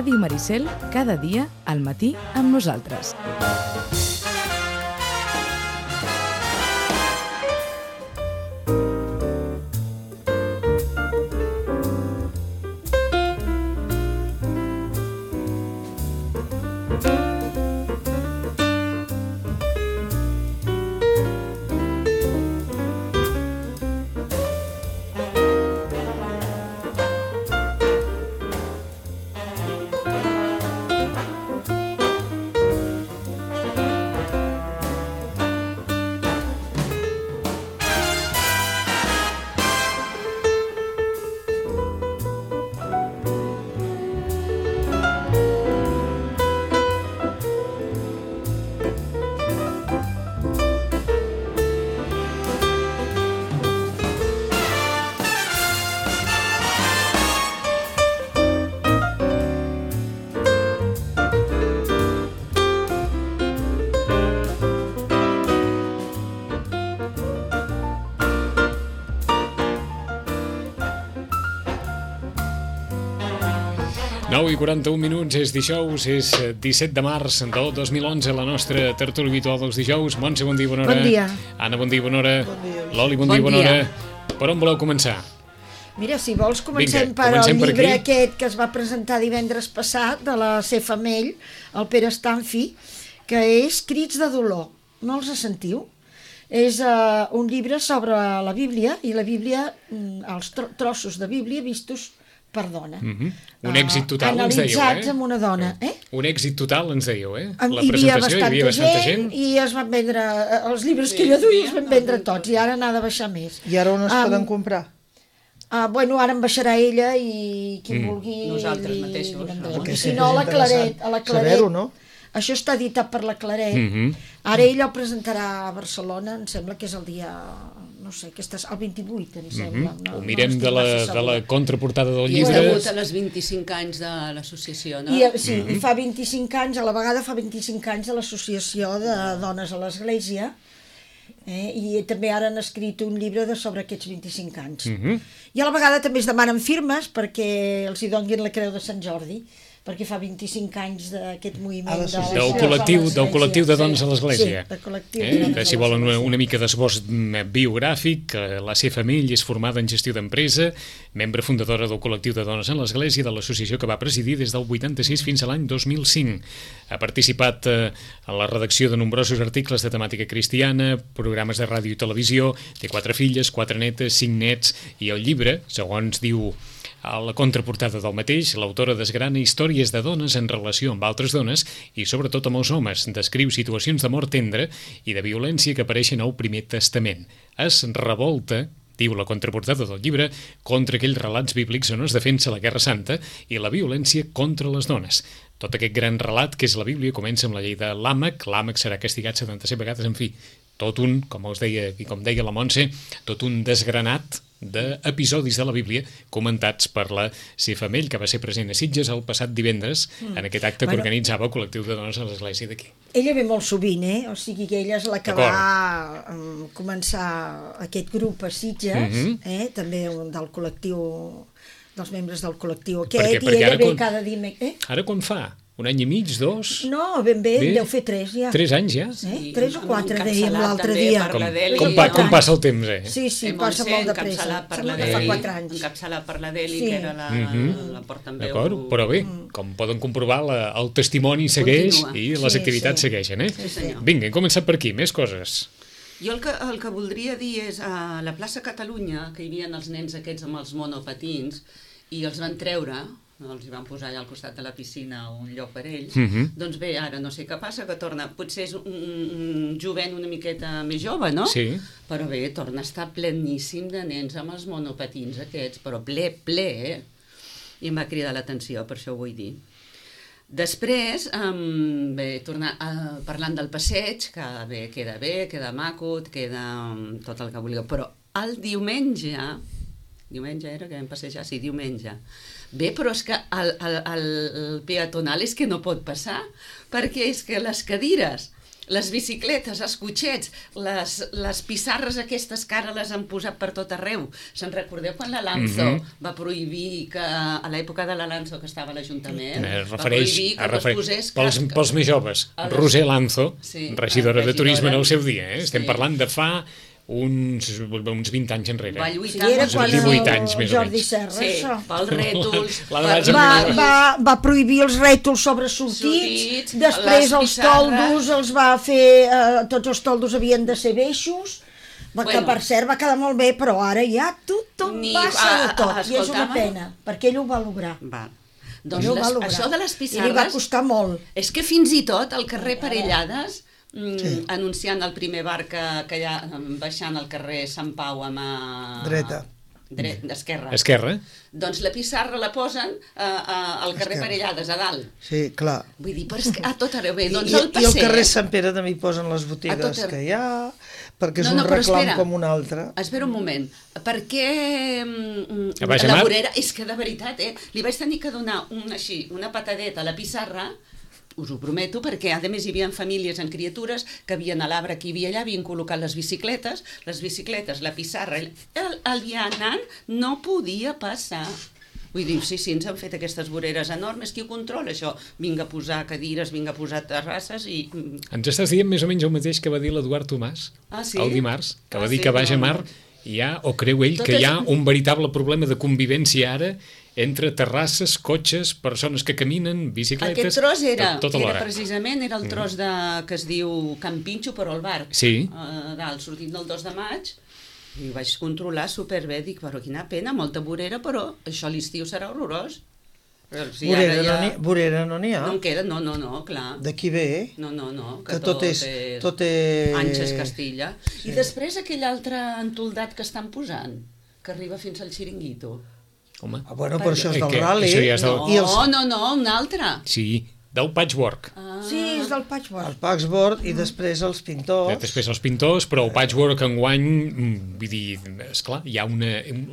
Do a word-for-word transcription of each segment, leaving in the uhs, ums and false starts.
Ràdio Maricel, cada dia, al matí, amb nosaltres. nou i quaranta-un minuts, és dijous, és disset de març del dos mil onze, la nostra tertúlia habitual dels dijous. Montse, bon dia, bona hora. Bon dia. Anna, bon dia, bona hora. Bon dia. Loli, bon, Bon dia, bona dia. hora. Per on voleu començar? Mira, si vols comencem Vinga, per comencem el per llibre aquí. aquest que es va presentar divendres passat de la C. Famell, el Pere Stanfi, que és Crits de dolor. No els sentiu? És uh, un llibre sobre la Bíblia i la Bíblia, mm, els tro trossos de Bíblia vistos per dona. Mm -hmm. Un èxit total, uh, ens dèieu, eh? Analitzats amb una dona, eh? Un èxit total, ens dèieu, eh? Hi La havia presentació, hi bastanta, havia bastanta gent. i es van vendre, eh, els llibres que jo duia es van vendre tots i ara n'ha de baixar més. I ara on es Am, poden comprar? Ah, bueno, ara en baixarà ella i qui Mm. vulgui... Nosaltres li- mateixos, li vendrem. Ramon. I Perquè si sí no, a la que és Claret, interessant a la Claret. saber-ho, no? Això està editat per la Claret. Mm -hmm. Ara ella el presentarà a Barcelona, em sembla que és el dia... no sé, que estàs, el vint-i-vuit, em sembla. Mm -hmm. no, Ho no mirem estic de, la, massa de la segura. contraportada del I és llibre. degut a les vint-i-cinc anys de l'associació, no? I, eh, sí, i fa vint-i-cinc anys, a la vegada fa vint-i-cinc anys de l'Associació de Dones a l'Església, eh? I també ara han escrit un llibre de sobre aquests vint-i-cinc anys. Mm -hmm. I a la vegada també es demanen firmes perquè els hi donin la Creu de Sant Jordi, perquè fa vint-i-cinc anys d'aquest moviment A de l'associació. Del dones col·lectiu, a del l'Església. col·lectiu de dones a l'Església. Sí, del col·lectiu de Eh? dones Que a si volen una, l'Església. una mica d'esbós mm, biogràfic, eh, la C. Famell és formada en gestió d'empresa, membre fundadora del col·lectiu de dones en l'Església, de l'associació que va presidir des del vuitanta-sis fins a l'any dos mil cinc. Ha participat eh, en la redacció de nombrosos articles de temàtica cristiana, programes de ràdio i televisió, té quatre filles, quatre netes, cinc nets, i el llibre, segons diu a la contraportada del mateix, l'autora desgrana històries de dones en relació amb altres dones i sobretot amb els homes. Descriu situacions d'amor tendre i de violència que apareixen al Primer Testament. Es revolta, diu la contraportada del llibre, contra aquells relats bíblics on es defensa la Guerra Santa i la violència contra les dones. Tot aquest gran relat que és la Bíblia comença amb la llei de Làmec. Làmec serà castigat setanta-set vegades, en fi, tot un, com us deia i com deia la Montse, tot un desgranat d'episodis de la Bíblia comentats per la C. Famell, que va ser present a Sitges el passat divendres mm. en aquest acte que Bueno. organitzava el col·lectiu de dones a l'Església d'aquí. Ella ve molt sovint, eh? O sigui que ella és la que va um, començar aquest grup a Sitges, Mhm. eh? També un del col·lectiu, dels membres del col·lectiu aquest, Perquè- i perquè ella ara ve quan- cada dimecres. Eh? Ara quan fa? Un any i mig, dos? No, ben bé, Bé. deu fer tres ja. Tres anys ja? Eh? Tres o quatre, encapçalat dèiem l'altre també dia. per Com, la Deli, com, pa, no? com passa el temps, eh? Sí, sí, Eh, passa Montse, molt de pressa. encapçalat per la Sembla que fa Deli, quatre anys. encapçalat per la Deli, Sí. que era la, Mhm. la portaveu. D'acord, però bé, com poden comprovar, la, el testimoni segueix Continua. i les Sí, activitats sí. segueixen, eh? Sí, senyor. Vinga, hem començat per aquí, més coses. Jo el que, el que voldria dir és a la plaça Catalunya, que hi havia els nens aquests amb els monopatins, i els van treure, els hi van posar allà al costat de la piscina un lloc per ells, Mhm. doncs bé, ara no sé què passa, que torna, potser és un, un jovent una miqueta més jove, no? Sí. Però bé, torna a estar pleníssim de nens amb els monopatins aquests, però ple, ple, eh? I em va cridar l'atenció, per això ho vull dir. Després, um, bé, tornar uh, parlant del passeig, que bé, queda bé, queda maco, queda um, tot el que vulgueu, però el diumenge, diumenge era que vam passejar? Sí, diumenge. Bé, però és que el, el, el peatonal és que no pot passar, perquè és que les cadires les bicicletes, els cotxets, les, les pissarres aquestes que ara les han posat per tot arreu. Se'n recordeu quan la Lanzo mm -hmm. va prohibir que, a l'època de la Lanzo que estava a l'Ajuntament, eh, va prohibir que no es posés pels, casc. Pels més joves, les... Roser Lanzo, sí, regidora, regidora de Turisme en el seu dia, eh? Sí. Estem parlant de fa uns, uns vint anys enrere. Va lluitar sí, era uns quan vint-i-vuit anys, més o Jordi menys. Serra, sí, això. pels rètols, La per... Va, va, va prohibir els rètols sobresortits, Sortits, després les els pissarres. toldos els va fer, eh, tots els toldos havien de ser beixos, va, Bueno. que per cert va quedar molt bé, però ara ja tothom Ni- passa de a- tot, a- i és una escolta'm. pena, perquè ell ho va lograr. Va. Doncs Ell ho va les, lograr. això de les I li va pissarres... costar molt. És que fins i tot al carrer Parellades, mm, sí. anunciant el primer bar que, que hi ha baixant al carrer Sant Pau amb... A... Dreta. Dret, esquerra. Esquerra. Doncs la pissarra la posen uh, uh, al carrer Esquerra. Parellades, a dalt. Sí, clar. Vull dir, però és que a tot arreu bé. I, Doncs i, el I al passeig... carrer Sant Pere també hi posen les A botigues tot arreu. que hi ha, perquè és No, un no, però reclam espera. com un altre. Espera un moment. Per què mm, A Baix la Amar? vorera... És que de veritat, eh? Li vaig tenir que donar un, així, una patadeta a la pissarra, us ho prometo, perquè a més hi havia famílies amb criatures que havien a l'arbre que hi havia allà, havien col·locat les bicicletes, les bicicletes, la pissarra, el, el vianant no podia passar. Vull dir, sí, sí, ens han fet aquestes voreres enormes, qui ho controla això? Vinga a posar cadires, vinga a posar terrasses i... Ens estàs dient més o menys el mateix que va dir l'Eduard Tomàs Ah, sí? el dimarts, que Ah, va dir sí? que a Baix No, Amar no. hi ha, o creu ell, Tot que hi ha és- un veritable problema de convivència ara entre terrasses, cotxes, persones que caminen, bicicletes... Aquest tros era, tot, tot era alhora. precisament era el tros de, que es diu Can Pinxo, però al bar. Sí. A dalt, sortint del dos de maig, i ho vaig controlar superbé, dic, però quina pena, molta vorera, però això a l'estiu serà horrorós. Però si Vorera, ara ja... no n'hi- vorera no n'hi ha. No en queda, no, no, no, clar. D'aquí ve, No, no, no, que, que tot és... és... Tot és... Anxes Castilla. I després aquell altre entoldat que estan posant, que arriba fins al Xiringuito. Home, Ah, bueno, però això és Eh, del què? rally. Això ja és del- No, I els, no, no, un altre. sí, del patchwork. Ah. Sí, és del patchwork. el Paxboard i després els pintors. Després els pintors, però el patchwork enguany, mm, vull dir, esclar, hi ha una,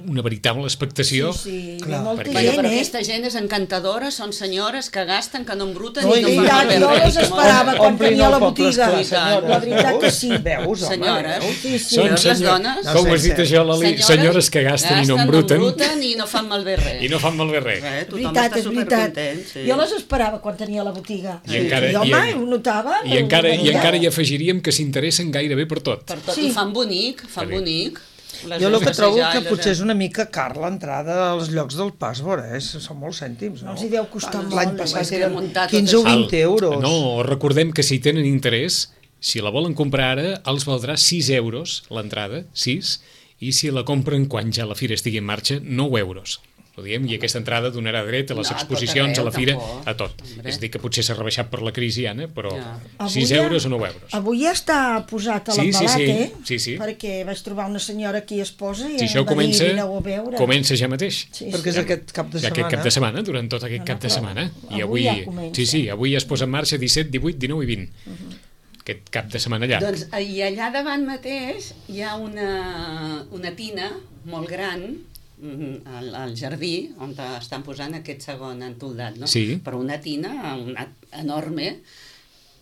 una veritable expectació. Sí, sí, Clar, ve molta perquè- Bueno, gent, però eh? aquesta gent és encantadora, són senyores que gasten, que no embruten No, i no i fan ja, malbé jo res. les esperava quan Omplin tenia el la poble, botiga. esclar, senyores. La veritat que sí. Veus, home, Senyores. veus? Sí, sí. Són Veus les senyor- dones? Com ho has dit això, Lali? Senyores que gasten i no embruten. No embruten i no fan malbé res. I no fan malbé res. Res, tothom Veritat, està és veritat. supercontent. Sí. Jo les esperava quan tenia la botiga. I encara- I, home, i en- ho notava. I encara, i Venia. encara hi afegiríem que s'interessen gairebé per tot. Per tot. Sí. I fan bonic, fan Que bé. bonic. Les Jo el veus que trobo passejar que i les- potser és una mica car l'entrada als llocs del Passboard, eh? Són molts cèntims, no? No els hi deu costar molt. L'any eh? passat És que eren muntar tot quinze o això- vint euros. No, recordem que si tenen interès, si la volen comprar ara, els valdrà sis euros l'entrada, sis, i si la compren quan ja la fira estigui en marxa, nou euros. Ho diem, i aquesta entrada donarà dret a les No, a tot exposicions, a arreu, la fira, tampoc. a tot. Hombre. És a dir, que potser s'ha rebaixat per la crisi, Anna, però Ja. sis Avui ja- euros o nou euros. Avui ja està posat a Sí, sí, l'embalat, sí. eh? Sí, sí. Perquè vaig trobar una senyora aquí esposa i Si això em va comença, dir, vineu a veure. comença ja mateix. Sí, Perquè és sí. aquest cap de Ja setmana. aquest cap de setmana, durant tot aquest No, no, cap de però setmana. I avui avui, ja comença. sí, sí, avui es posa en marxa disset, divuit, dinou i vint. Mhm. Aquest cap de setmana llarg. Doncs i allà davant mateix hi ha una, una tina molt gran mm, al, al jardí on estan posant aquest segon entoldat, no? Sí. Però una tina una, enorme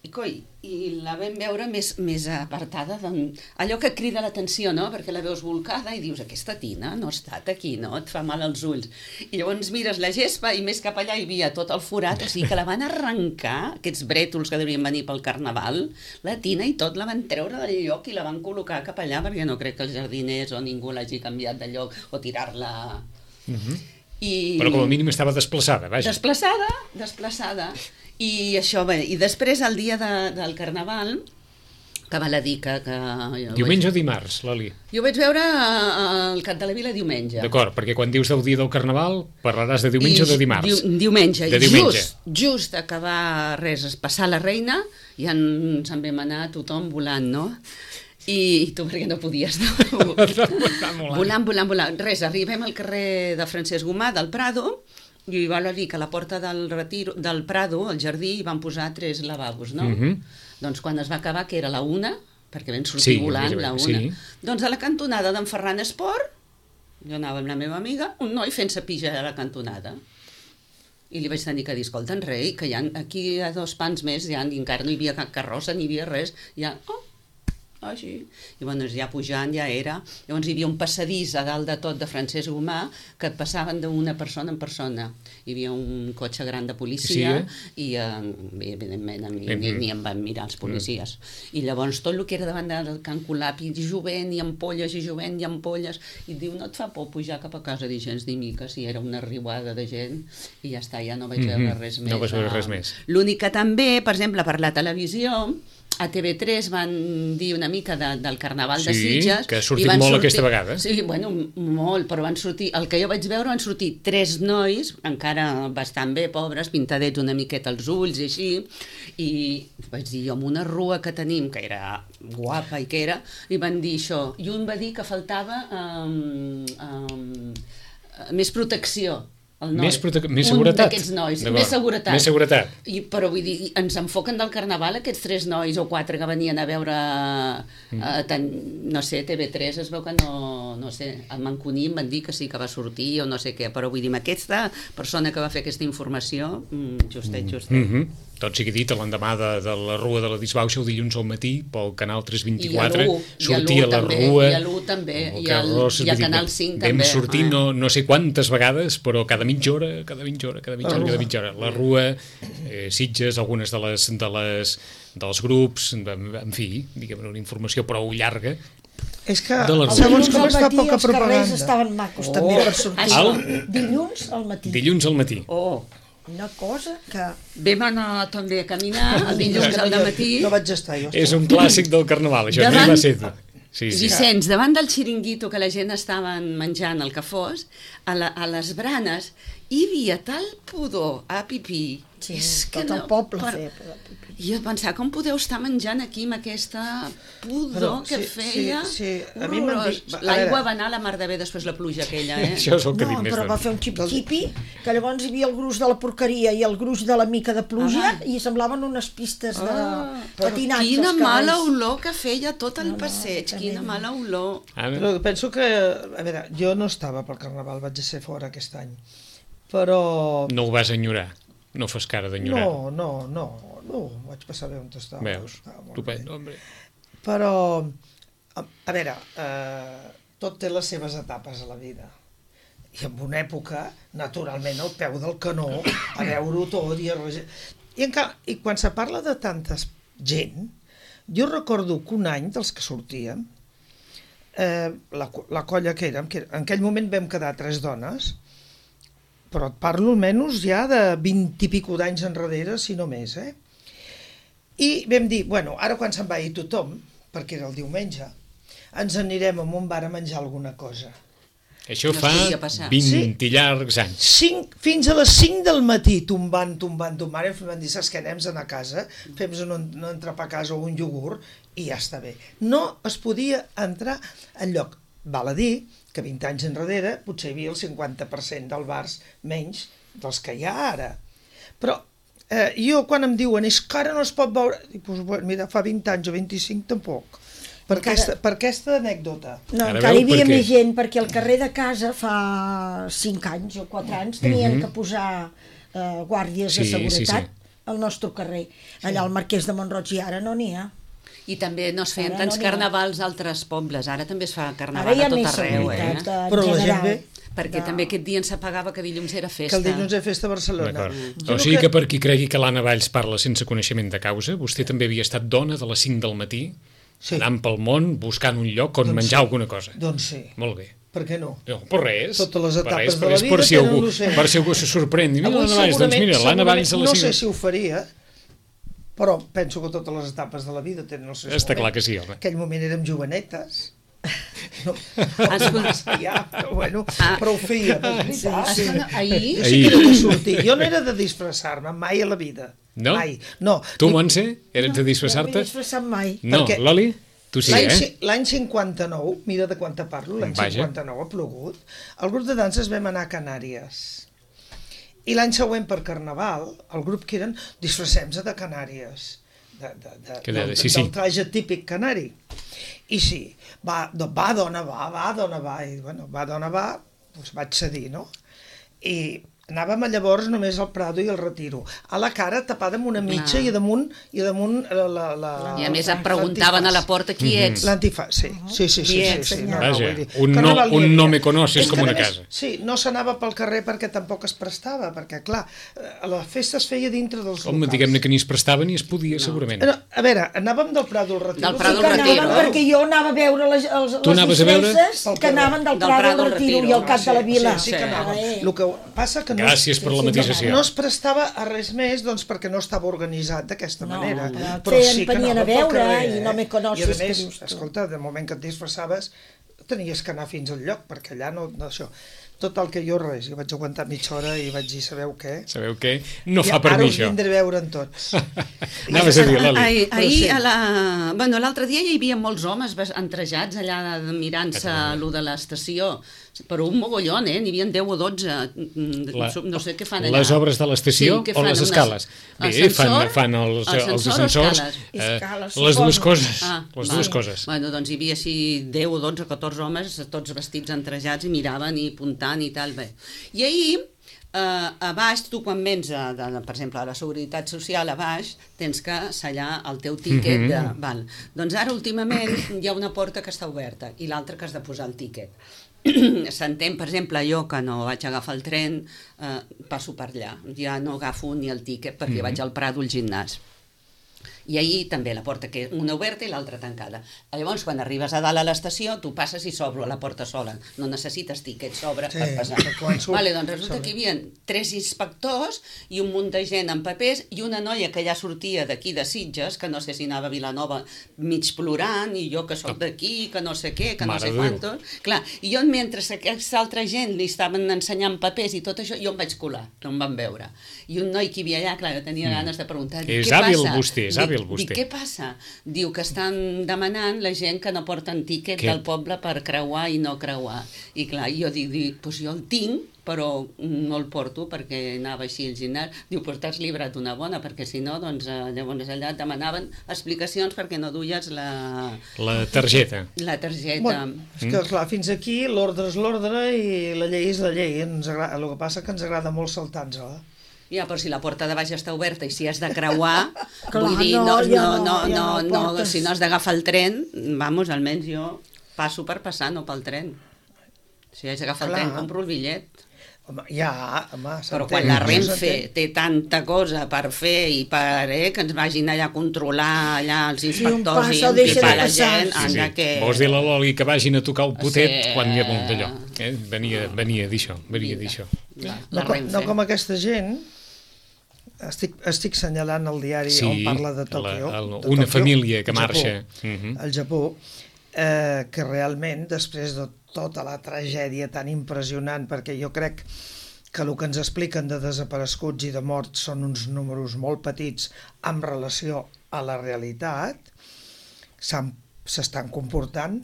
i, coi, i la vam veure més, més apartada d'on... allò que crida l'atenció, no? Perquè la veus volcada i dius, aquesta tina no ha estat aquí, no? Et fa mal als ulls. I llavors mires la gespa i més cap allà hi havia tot el forat, o sigui que la van arrencar, aquests brètols que deurien venir pel carnaval, la tina i tot la van treure del lloc i la van col·locar cap allà, perquè no crec que els jardiners o ningú l'hagi canviat de lloc o tirar-la... Mhm. I... Però com a mínim estava desplaçada, vaja. Desplaçada, desplaçada. I això, bé, i després el dia de, del Carnaval, que val a dir que... que jo Diumenge o vaig, dimarts, Lali? jo vaig veure eh, el Cap de la Vila diumenge. D'acord, perquè quan dius del dia del Carnaval parlaràs de diumenge o de dimarts. Diu, diumenge. De I diumenge. Just, just acabar res, es passar la reina, i ens en vam anar tothom volant, no? I, i tu perquè no podies, no? volant, volant, volant. Res, arribem al carrer de Francesc Gomà, del Prado, i val a dir que a la porta del retiro, del Prado, al jardí, hi van posar tres lavabos, no? Mhm. Doncs quan es va acabar, que era la una, perquè vam sortir Sí, volant més o la menys, una. sí. Doncs a la cantonada d'en Ferran Esport, jo anava amb la meva amiga, un noi fent-se pija a la cantonada. I li vaig tenir que dir, escolta, rei, que hi ha, aquí hi ha dos pans més, ja, i encara no hi havia cap carrossa, ni hi havia res, ja, oh, així. I bueno, ja pujant ja era. Llavors hi havia un passadís a dalt de tot de Francesc Gomà que et passaven d'una persona en persona. Hi havia un cotxe gran de policia sí, eh? i eh, evidentment ni, ni, ni em van mirar els policies. Mm. I llavors tot el que era davant del Can Colapi, jovent i ampolles i jovent i ampolles, i et diu, no et fa por pujar cap a casa, dir gens ni mica, si era una riuada de gent, i ja està, ja no vaig veure mm-hmm. res més. No vaig veure res més. L'únic que també, per exemple, per la televisió, a T V tres van dir una mica de, del Carnaval sí, de Sitges. Sí, que ha sortit molt sortir, aquesta vegada. Sí, bueno, molt, però van sortir, el que jo vaig veure van sortir tres nois, encara bastant bé, pobres, pintadets una miqueta els ulls i així, i vaig dir jo, amb una rua que tenim, que era guapa i que era, i van dir això, i un va dir que faltava um, um, més protecció. Més, més seguretat. Un d'aquests nois, més seguretat. Més seguretat. I, però vull dir, ens enfoquen del Carnaval aquests tres nois o quatre que venien a veure, mm. eh, tan, no sé, T V tres, es veu que no, no sé, a Manconí em van dir que sí que va sortir o no sé què, però vull dir, aquesta persona que va fer aquesta informació, justet, justet. Mm -hmm. Tot sigui dit, l'endemà de, de la Rua de la Disbauxa, el dilluns al matí, pel canal tres vint-i-quatre, sortia la Rua... I a l'u també, i al canal cinc també. Vam sortir no, no sé quantes vegades, però cada mitja hora, cada mitja hora, cada mitja hora, cada mitja hora. La Rua, eh, Sitges, algunes de les, de les, dels grups, en fi, diguem una informació prou llarga. És que segons com es fa poca propaganda. Els carrers estaven macos oh, també per sortir. El... Dilluns al matí. Dilluns al matí. Oh, una cosa que... Vam anar també a caminar el dilluns al matí. No vaig estar jo. És un clàssic del Carnaval, això no va ser tu. Sí, sí. Vicenç, davant del xiringuito que la gent estava menjant el que fos, a, la, a les branes hi havia tal pudor a pipí. Sí, és tot que el no, poble per... feia pipí. I jo pensava, com podeu estar menjant aquí amb aquesta pudor però, que sí, feia? Sí, sí. A mi m'han dit... L'aigua va anar a la mar de bé després la pluja aquella, eh? Això és el que no, dic més. Però va fer un xip-xipi, que llavors hi havia el gruix de la porqueria i el gruix de la mica de pluja, ah, i semblaven unes pistes de ah, patinatge. Quina mala olor que feia tot el no, passeig, no, quina mala olor. Ah, però penso que, a veure, jo no estava pel Carnaval, vaig ser fora aquest any, però... No ho vas enyorar? No fas cara d'enyorar? No, no, no, no, vaig passar bé on estava. Veus, estupendo, home. Però, a, a veure, eh, tot té les seves etapes a la vida. I en una època, naturalment, al peu del canó, a veure-ho tot i a... I, en, I quan se parla de tanta gent, jo recordo que un any dels que sortíem, eh, la, la colla que érem, que en aquell moment vam quedar tres dones, però et parlo almenys ja de vint i pico d'anys enrere, si no més, eh? I vam dir, bueno, ara quan se'n va ir tothom, perquè era el diumenge, ens anirem a un bar a menjar alguna cosa. Això no fa vint sí? llargs anys. Cinc, fins a les cinc del matí, tombant, tombant, tombant, i vam dir, saps què, anem a anar a casa, fem un, un entrepà a casa o un iogurt, i ja està bé. No es podia entrar enlloc. Val a dir que vint anys enrere potser hi havia el cinquanta per cent dels bars menys dels que hi ha ara. Però eh, jo quan em diuen és que ara no es pot veure, dic, pues, bueno, mira, fa vint anys o vint-i-cinc tampoc. Per, encara... aquesta, per aquesta anècdota. No, ara encara hi havia més gent, perquè al carrer de casa fa cinc anys o quatre anys tenien mm-hmm. que posar eh, guàrdies sí, de seguretat sí, sí. al nostre carrer. Allà al Marquès de Mont-roig i ara no n'hi ha. I també no es feien ara tants no carnavals a altres pobles, ara també es fa carnaval a tot arreu, eh? Però la gent ve... Perquè no. també aquest dia ens s'apagava que dilluns era festa. Que el dilluns era festa a Barcelona. Mm. O sigui que... que per qui cregui que l'Anna Valls parla sense coneixement de causa, vostè també havia estat dona de les cinc del matí, sí. anant pel món, buscant un lloc on doncs menjar sí. alguna cosa. Doncs sí. Molt bé. Per què no? No, per res. Totes les etapes res, de la vida per si tenen algú, l'ocell. Per si algú se sorprèn. Mira l'Anna Valls, doncs mira, l'Anna Valls a les cinc... No sé si ho faria, però penso que totes les etapes de la vida tenen els seus Està moments. clar que sí, home. En aquell moment érem jovenetes. No, ja, però, bueno, ah. però ho feia. Sí, sí. Ahir? Jo sí que era de sortir. Jo no era de disfressar-me mai a la vida. No? Mai. No. Tu, Montse, eres de disfressar-te? No m'he disfressat mai. No, Loli? Tu sí, eh? L'any cinquanta-nou, mira de quan te parlo, l'any cinquanta-nou ha plogut, el grup de danses vam anar a Canàries. I l'any següent per Carnaval, el grup que eren disfressem-se de Canàries, de, de, de, de, de, sí, sí. del traje típic canari. I sí, va, va dona, va, va, dona, va, i bueno, va, dona, va, doncs vaig cedir, no? I Anàvem llavors només al Prado i al Retiro. A la cara tapada amb una mitja i damunt, i damunt la, la, la, I a més et preguntaven a la porta qui ets. L'antifàs, sí. Sí, sí, sí. sí, sí. No, Vaja, no, dir, un no, no, un no me conoces com una més, casa. Sí, no s'anava pel carrer perquè tampoc es prestava, perquè, clar, la festa es feia dintre dels Home, locals. diguem-ne que ni es prestava ni es podia, no. segurament. No, a veure, anàvem del Prado al Retiro. Del Prado que al anaven, Retiro. perquè jo anava a veure les, els, Tu anaves a veure? disfresses que anaven del, Del Prado Prado al al Retiro Retiro. i al Cap de la Vila. Sí, sí que anàvem. Eh. El que passa que no, Gràcies per la matisació. no es prestava a res més, doncs, perquè no estava organitzat d'aquesta No, manera. però feien- venien a veure i no me conoces, I a que més, dius tu. escolta, de moment que et disfressaves, tenies que anar fins al lloc, perquè allà no, no això. Tot el que jo res, jo vaig aguantar mitja hora i vaig dir, sabeu què? Sabeu què? No I fa per ara mi us això. vindré a veure'n tots. Anaves a dir, Lali. Ahir, Però ahir sí. a la... bueno, l'altre dia hi havia molts homes bas- entrejats allà mirant-se lo de l'estació, però un mogollon, eh? N'hi havia deu o dotze, La- no sé què fan allà. Les obres de l'estació què o fan, les unes- escales? Bé, fan, ascensor? fan els, els Ascensor o ascensors, escales? eh, Escales, les dues suposo. coses, Ah, les va. dues coses. Bueno, doncs hi havia així deu o dotze, catorze homes, tots vestits entrejats i miraven i apuntant i tal, bé. I ahir, eh, a baix, tu quan vens, a, de, per exemple, a la Seguretat Social, a baix, tens que sellar el teu tíquet. Mhm. de, val. Doncs ara, últimament, hi ha una porta que està oberta i l'altra que has de posar el tíquet. S'entén, per exemple, jo que no vaig agafar el tren, eh, passo per allà. Ja no agafo ni el tíquet perquè Mhm. vaig al Prado al gimnàs. I ahir també la porta, que una oberta i l'altra tancada. Llavors, quan arribes a dalt a l'estació, tu passes i s'obre la porta sola. No necessites tíquet, s'obre Sí, per passar. perquè quan surt- Vale, doncs resulta s'obre. que hi havia tres inspectors i un munt de gent amb papers i una noia que ja sortia d'aquí de Sitges, que no sé si anava a Vilanova mig plorant, i jo que sóc d'aquí, que no sé què, que no Mare sé de Déu. quantos. Clar, i jo, mentre aquesta altra gent li estaven ensenyant papers i tot això, jo em vaig colar, no em van veure. I un noi que hi havia allà, clar, jo tenia ganes de preguntar, dic, És què hàbil passa? vostè, és Dic- hàbil vostè. Dic, què passa? Diu que estan demanant la gent que no porten tíquet Què? del poble per creuar i no creuar. I clar, jo dic, dic doncs jo el tinc, però no el porto perquè anava així al gimnàs. Diu, però t'has librat una bona, perquè si no, doncs eh, llavors allà et demanaven explicacions perquè no duies la, La targeta. la targeta. Bueno, és que, clar, fins aquí l'ordre és l'ordre i la llei és la llei. Ens agrada, el que passa que ens agrada molt saltar-nos-la. Ja, però si la porta de baix està oberta i si has de creuar, Clar, vull dir, no, no, ja no, no, no, ja no, no no, portes. si no has d'agafar el tren, vamos, almenys jo passo per passar, no pel tren. Si haig d'agafar el Clar. tren, compro el bitllet. Home, ja, home, Però s'entén, quan la Renfe s'entén. té tanta cosa per fer i per eh, que ens vagin allà a controlar allà els un inspectors passa i o deixa impipar de la passar. gent, Sí, sí. anda que... Vols dir a la Loli que vagin a tocar el potet Sí. quan hi ha molt d'allò. Eh? Venia, venia d'això, venia Vinga. d'això. La, No, la com, Renfe. no com aquesta gent, estic, estic senyalant el diari Sí, on parla de Tòquio. la- el- de una Tòquio, família que al Japó, marxa. Mhm. al Japó, eh, que realment, després de tota la tragèdia tan impressionant, perquè jo crec que el que ens expliquen de desapareguts i de morts són uns números molt petits en relació a la realitat, s'han- s'estan comportant.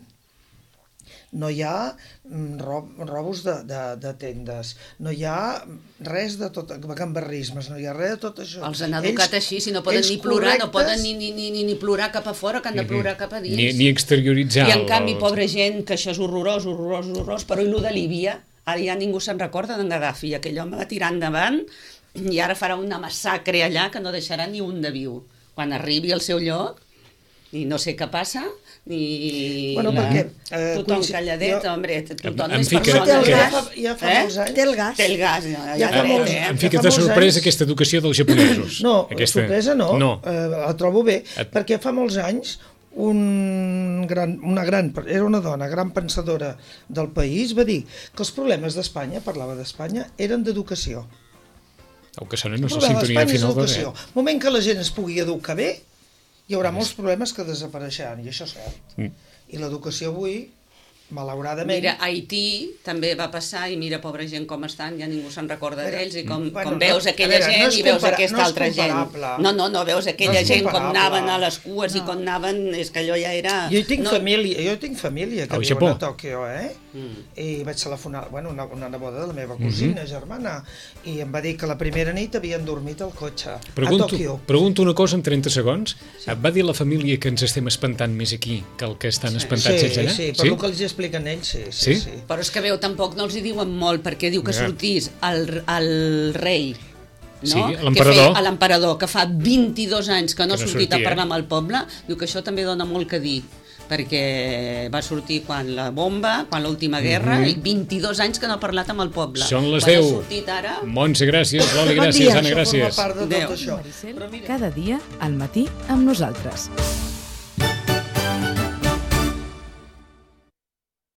No hi ha mm, rob, robos de, de, de tendes, no hi ha res de tot, gambarrismes, no hi ha res de tot això. Els han educat Ells- així, si no poden ells ni plorar, no correctes- poden ni, ni, ni, ni, ni plorar cap a fora, que han de plorar cap a dins. Ni, ni exterioritzar. I en el- canvi, el- pobra gent, que això és horrorós, horrorós, horrorós, però i el de Líbia, ara ja ningú se'n recorda d'en Gaddafi, aquell home va tirar endavant i ara farà una massacre allà que no deixarà ni un de viu. Quan arribi al seu lloc, i no sé què passa, ni... Bueno, perquè, eh, tothom coinci- calladet, jo- hombre, tothom Em és fica- persona. Té el ja gas. fa, ja fa Eh? molts anys. Té el gas. Té el gas, ja, ja, Ja fa ja molts- eh? Em Ja fica fa de molts sorpresa anys. aquesta educació dels japonesos. No, aquesta... sorpresa no, No. Eh, la trobo bé, Et- perquè fa molts anys un gran, una gran, era una dona, gran pensadora del país, va dir que els problemes d'Espanya, parlava d'Espanya, eren d'educació. El que sona El no és la problema sintonia d'Espanya és final de educació. res. El moment que la gent es pugui educar bé, hi haurà molts problemes que desapareixeran, i això és cert. Mm. I l'educació avui, malauradament... Mira, a Haití també va passar i mira, pobra gent, com estan, ja ningú se'n recorda Veure, d'ells i com, bueno, com veus no, aquella a veure, gent no és i veus compara- aquesta no és altra gent. comparable. No, no, no, veus aquella No és gent com comparable. anaven a les cues no. i com anaven, és que allò ja era... Jo hi tinc no, família, jo hi tinc família que Al viuen Japó. a Tòquio, eh? Mm. I vaig telefonar, bueno, una, una neboda de la meva cosina, mm-hmm. germana, i em va dir que la primera nit havien dormit al cotxe, pregunto, a Tòquio. Pregunto una cosa en trenta segons. Sí. Et va dir la família que ens estem espantant més aquí que el que estan sí. espantats sí, allà? Sí, per sí, per el que els expliquen ells, sí, sí, sí. sí? Però és que veu, tampoc no els hi diuen molt, perquè diu que ja. sortís el, el rei, no? Sí, l'emperador. Que l'emperador, que fa vint-i-dos anys que no ha no sortit sortia. a parlar amb el poble, diu que això també dona molt que dir, perquè va sortir quan la bomba, quan l'última guerra, mm-hmm. i vint-i-dos anys que no ha parlat amb el poble. Són les quan deu. Ha sortit ara... Montse, gràcies. Loli, gràcies. Bon dia. Anna, gràcies. Això forma part de tot Adéu. això. Maricel, cada dia al matí amb nosaltres.